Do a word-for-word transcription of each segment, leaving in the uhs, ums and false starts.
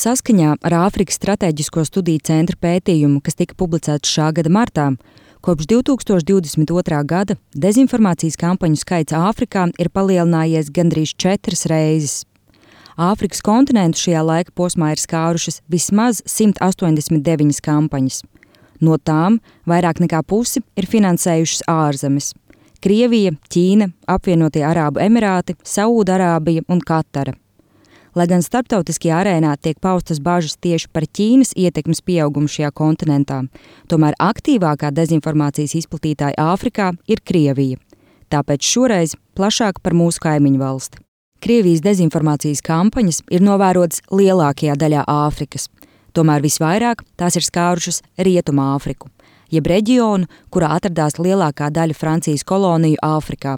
Saskaņā ar Āfrikas Stratēģisko studiju centra pētījumu, kas tika publicēts šā gada martā, kopš divi tūkstoši divdesmit otrā gada dezinformācijas kampaņu skaits Āfrikā ir palielinājies gandrīz četras reizes. Āfrikas kontinentu šajā laika posmā ir skārušas vismaz simt astoņdesmit deviņas kampaņas. No tām vairāk nekā pusi ir finansējušas ārzemes – Krievija, Ķīna, Apvienotie Arābu Emirāti, Saūdarābija un Katara. Lai gan starptautiskajā arēnā tiek paustas bažas tieši par Ķīnas ietekmes pieaugumu šajā kontinentā, tomēr aktīvākā dezinformācijas izplatītāja Āfrikā ir Krievija. Tāpēc šoreiz plašāk par mūsu kaimiņu valsti. Krievijas dezinformācijas kampaņas ir novērotas lielākajā daļā Āfrikas, tomēr visvairāk tās ir skārušas Rietumu Āfriku, jeb reģionu, kurā atradās lielākā daļa Francijas koloniju Āfrikā.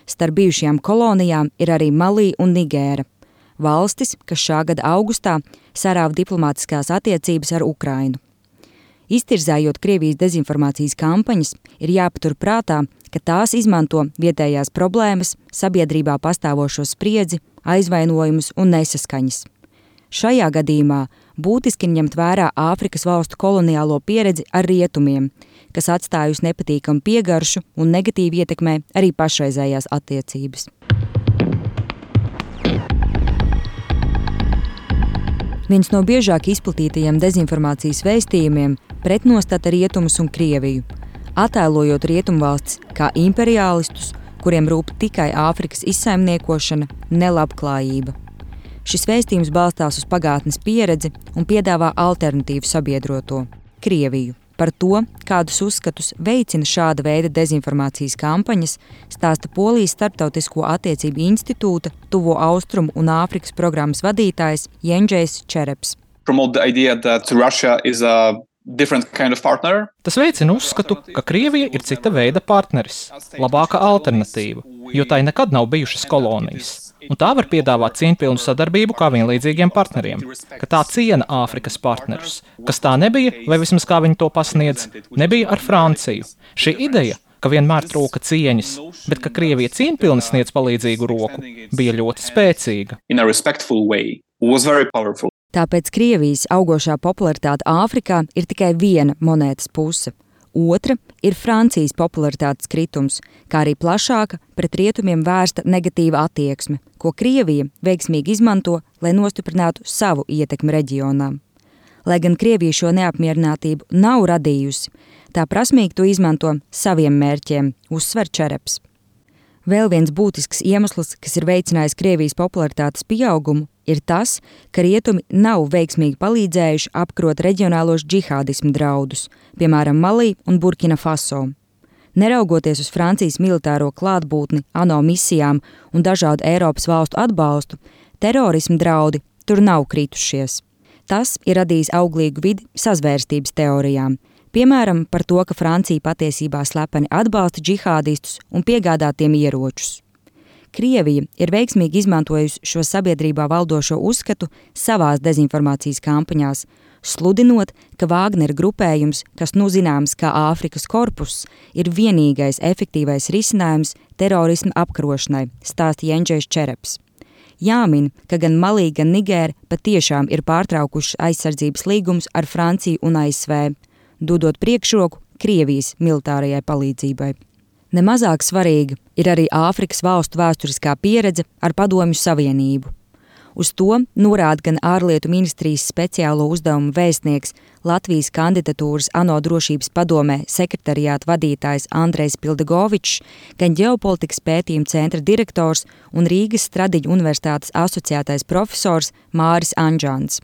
Starp bijušajām kolonijām ir arī Malī un Nigēra. Valstis, kas šā gada augustā sarāva diplomātiskās attiecības ar Ukrainu. Iztirzējot Krievijas dezinformācijas kampaņas, ir jāpatur prātā, ka tās izmanto vietējās problēmas, sabiedrībā pastāvošo spriedzi, aizvainojumus un nesaskaņas. Šajā gadījumā būtiski ņemt vērā Āfrikas valstu koloniālo pieredzi ar rietumiem, kas atstājusi nepatīkamu piegaršu un negatīvi ietekmē arī pašreizējās attiecības. Viens no biežāk izplatītajiem dezinformācijas vēstījumiem pretnostata rietumus un Krieviju, attēlojot rietumvalstis kā imperiālistus, kuriem rūp tikai Āfrikas izsaimniekošana, ne labklājība. Šis vēstījums balstās uz pagātnes pieredzi un piedāvā alternatīvu sabiedroto – Krieviju. Par to, kādus uzskatus veicina šāda veida dezinformācijas kampaņas, stāsta Polijas Starptautisko attiecību institūta Tuvo Austrumu un Āfrikas programmas vadītājs Jendžejs Čereps. Kind of Tas veicina uzskatu, ka Krievija ir cita veida partneris, labāka alternatīva, jo tai nekad nav bijušas kolonijas. Un tā var piedāvāt cieņpilnu sadarbību kā vienlīdzīgiem partneriem, ka tā ciena Āfrikas partnerus, kas tā nebija, vai vismaz kā viņi to pasniedz, nebija ar Franciju. Šī ideja, ka vienmēr trūka cieņas, bet ka Krievija cieņpilni sniedz palīdzīgu roku, bija ļoti spēcīga. Tāpēc Krievijas augošā popularitāte Āfrikā ir tikai viena monētas puse. Otra ir Francijas popularitātes kritums, kā arī plašāka pret rietumiem vērsta negatīva attieksme, ko Krievija veiksmīgi izmanto, lai nostiprinātu savu ietekmi reģionā. Lai gan Krievija šo neapmierinātību nav radījusi, tā prasmīgi to izmanto saviem mērķiem, uzsver Čereps. Vēl viens būtisks iemesls, kas ir veicinājis Krievijas popularitātes pieaugumu, ir tas, ka rietumi nav veiksmīgi palīdzējuši apkarot reģionālos džihādismu draudus, piemēram, Malī un Burkina Faso. Neraugoties uz Francijas militāro klātbūtni, ANO misijām un dažādu Eiropas valstu atbalstu, terorismu draudi tur nav kritušies. Tas ir radījis auglīgu vidi sazvērstības teorijām, piemēram, par to, ka Francija patiesībā slepeni atbalsta džihādistus un piegādā tiem ieročus. Krievija ir veiksmīgi izmantojusi šo sabiedrībā valdošo uzskatu savās dezinformācijas kampaņās, sludinot, ka Vāgnera grupējums, kas nu zināms kā Āfrikas korpus, ir vienīgais efektīvais risinājums terorisma apkarošanai, stāsta Jendžejs Čereps. Jāmin, ka gan Malī, gan Nigēra patiešām ir pārtraukušas aizsardzības līgumus ar Franciju un A S V, dodot priekšroku Krievijas militārajai palīdzībai. Nemazāk svarīga ir arī Āfrikas valstu vēsturiskā pieredze ar Padomju Savienību. Uz to norāda gan ārlietu ministrijas speciālo uzdevumu vēstnieks Latvijas kandidatūras ANO drošības padomē sekretariāta vadītājs Andrejs Pildegovičs, gan ģeopolitikas pētījuma centra direktors un Rīgas Stradiņu universitātes asociētais profesors Māris Anžants.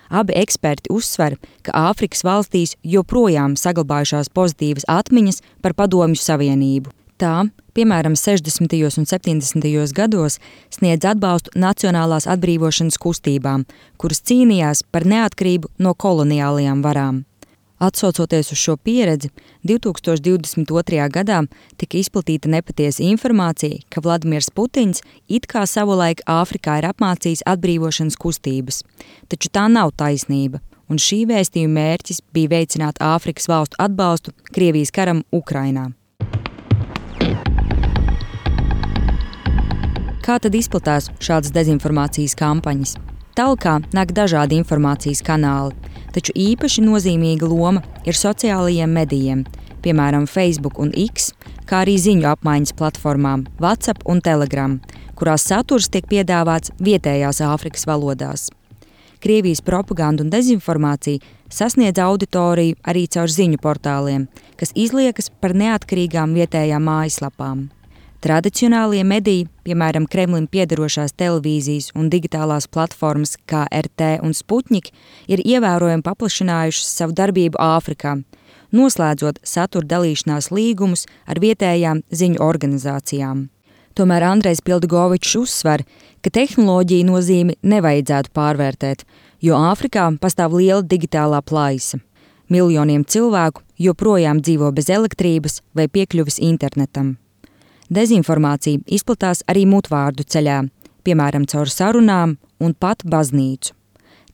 Abi eksperti uzsver, ka Āfrikas valstīs joprojām saglabājušās pozitīvas atmiņas par Padomju Savienību. Tā, piemēram, sešdesmitajos un septiņdesmitajos gados sniedz atbalstu nacionālās atbrīvošanas kustībām, kuras cīnījās par neatkarību no koloniālajām varām. Atsaucoties uz šo pieredzi, divi tūkstoši divdesmit otrajā gadā tika izplatīta nepatiesa informācija, ka Vladimirs Putins it kā savulaik Āfrikā ir apmācījis atbrīvošanas kustības, taču tā nav taisnība, un šī vēstījuma mērķis bija veicināt Āfrikas valstu atbalstu Krievijas karam Ukrainā. Kā tad izplatās šādas dezinformācijas kampaņas? Tālākā nāk dažādi informācijas kanāli, taču īpaši nozīmīga loma ir sociālajiem medijiem, piemēram, Facebook un X, kā arī ziņu apmaiņas platformām WhatsApp un Telegram, kurās saturs tiek piedāvāts vietējās Āfrikas valodās. Krievijas propaganda un dezinformācija sasniedz auditoriju arī caur ziņu portāliem, kas izliekas par neatkarīgām vietējām mājaslapām. Tradicionālie mediji, piemēram, Kremlim piederošās televīzijas un digitālās platformas kā R T un Sputnik, ir ievērojami paplašinājušas savu darbību Āfrikā, noslēdzot satura dalīšanās līgumus ar vietējām ziņu organizācijām. Tomēr Andrejs Pildigovičs uzsver, ka tehnoloģiju nozīmi nevajadzētu pārvērtēt, jo Āfrikā pastāv liela digitālā plaisa. Miljoniem cilvēku joprojām dzīvo bez elektrības vai piekļuves internetam. Dezinformācija izplatās arī mutvārdu ceļā, piemēram, caur sarunām un pat baznīcu.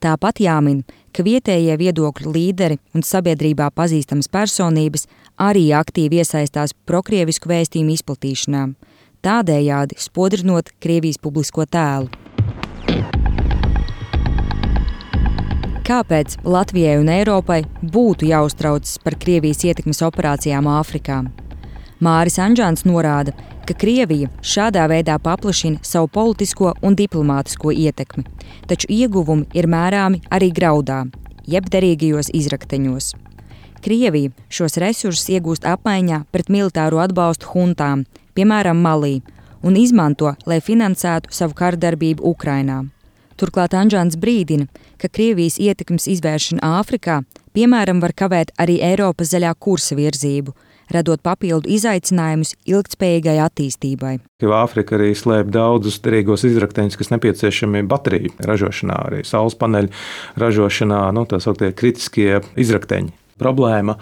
Tāpat jāmin, ka vietējie viedokļu līderi un sabiedrībā pazīstamas personības arī aktīvi iesaistās prokrievisku vēstījumu izplatīšanā, tādējādi spodrinot Krievijas publisko tēlu. Kāpēc Latvijai un Eiropai būtu jāuztraucas par Krievijas ietekmes operācijām Āfrikā? Māris Anžāns norāda, ka Krievija šādā veidā paplašina savu politisko un diplomātisko ietekmi, taču ieguvumi ir mērāmi arī graudā, jeb derīgajos izrakteņos. Krievija šos resursus iegūst apmaiņā pret militāro atbalstu huntām, piemēram, Malī, un izmanto, lai finansētu savu kardarbību Ukrainā. Turklāt Anžāns brīdina, ka Krievijas ietekmes izvēršana Āfrikā, piemēram, var kavēt arī Eiropas zaļā kursa virzību, radot papildu izaicinājumus ilgtspējīgai attīstībai. Āfrika arī slēp daudzus derīgos izrakteņus, kas nepieciešami bateriju ražošanā, arī saules paneļu ražošanā, nu, tā sauktie kritiskie izrakteņi. Problēma,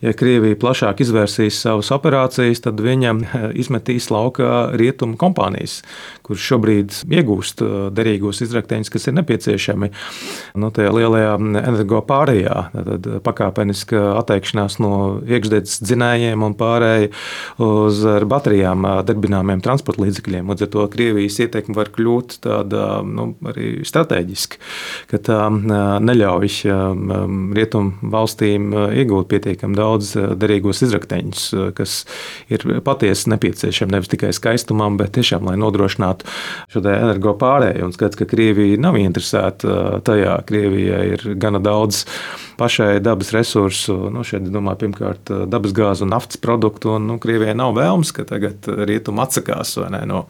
ja Krievija plašāk izvērsīs savas operācijas, tad viņam izmetīs laukā rietumu kompānijas, kuras šobrīd iegūst derīgos izrakteņus, kas ir nepieciešami nu, tajā lielajā energo pārējā. Tad pakāpeniska atteikšanās no iekšdedzes dzinējiem un pārēja uz ar baterijām darbināmiem transporta līdzekļiem. Līdz ar to Krievijas ietekme var kļūt tāda nu, arī strateģiski, ka tā neļauj rietumu valstīm iegūt pietiekami daudz derīgos izrakteņus, kas ir patiesi nepieciešami nevis tikai skaistumam, bet tiešām, lai nodrošinātu šo energo pārēju. Un skats, ka Krievija nav interesēta tajā. Krievijai ir gana daudz pašai dabas resursu. Nu, šeit, domāju, pirmkārt, dabas gāzu un naftas produktu. Un, nu, Krievijai nav vēlms, ka tagad rietumi atsakās vai ne, no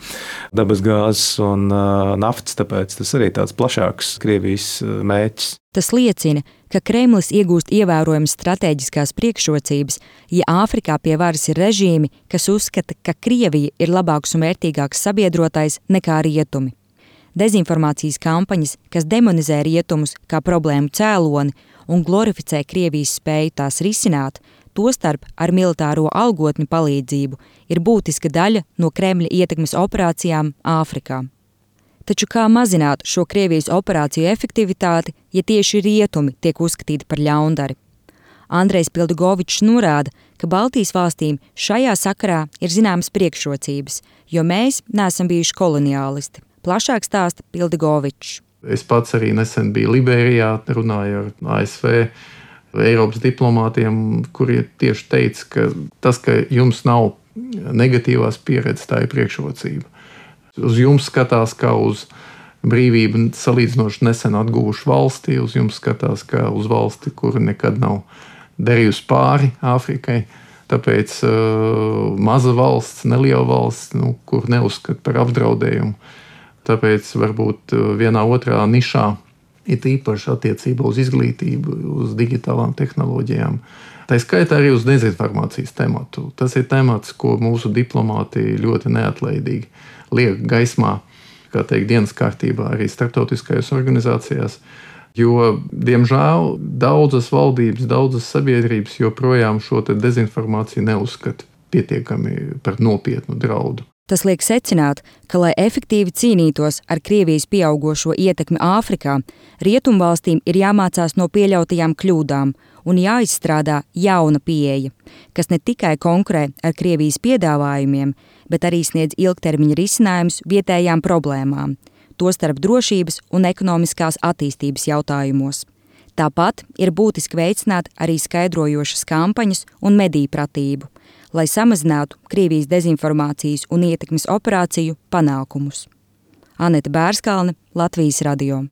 dabas gāzes un uh, naftas, tāpēc tas arī tāds plašāks Krievijas mērķis. Tas liecina, ka Kremlis iegūst ievērojamas stratēģiskās priekšrocības, ja Āfrikā pie varas ir režīmi, kas uzskata, ka Krievija ir labāks un vērtīgāks sabiedrotais nekā rietumi. Dezinformācijas kampaņas, kas demonizē rietumus kā problēmu cēloni un glorificē Krievijas spēju tās risināt, tostarp ar militāro algotņu palīdzību, ir būtiska daļa no Kremļa ietekmes operācijām Āfrikā. Taču kā mazināt šo Krievijas operāciju efektivitāti, ja tieši rietumi tiek uzskatīti par ļaundari? Andrejs Pildigovičs norāda, ka Baltijas valstīm šajā sakarā ir zināmas priekšrocības, jo mēs neesam bijuši koloniālisti. Plašāk stāsta Pildigovičs. Es pats arī nesen biju Liberijā, runāju ar A S V Eiropas diplomātiem, kuri tieši teica, ka tas, ka jums nav negatīvās pieredzes, tā ir priekšrocība. Uz jums skatās kā uz brīvību salīdzinoši nesen atguvušu valsti, uz jums skatās kā uz valsti, kura nekad nav darījusi pāri Āfrikai. Tāpēc uh, maza valsts, neliela valsts, nu, kur neuzskata par apdraudējumu. Tāpēc varbūt vienā otrā nišā ir īpaši attiecībā uz izglītību, uz digitālām tehnoloģijām. Tā skaitā arī uz dezinformācijas tematu. Tas ir temats, ko mūsu diplomāti ļoti neatlaidīgi liek gaismā, kā teikt, dienas kārtībā arī starptautiskajās organizācijās. Jo, diemžēl, daudzas valdības, daudzas sabiedrības joprojām šo te dezinformāciju neuzskata pietiekami par nopietnu draudu. Tas liek secināt, ka, lai efektīvi cīnītos ar Krievijas pieaugošo ietekmi Āfrikā, rietumvalstīm ir jāmācās no pieļautajām kļūdām un jāizstrādā jauna pieeja, kas ne tikai konkurē ar Krievijas piedāvājumiem, bet arī sniedz ilgtermiņa risinājumus vietējām problēmām, tostarp drošības un ekonomiskās attīstības jautājumos. Tāpat ir būtiski veicināt arī skaidrojošas kampaņas un mediju pratību, lai samazinātu Krievijas dezinformācijas un ietekmes operāciju panākumus. Aneta Bērskalne, Latvijas radio.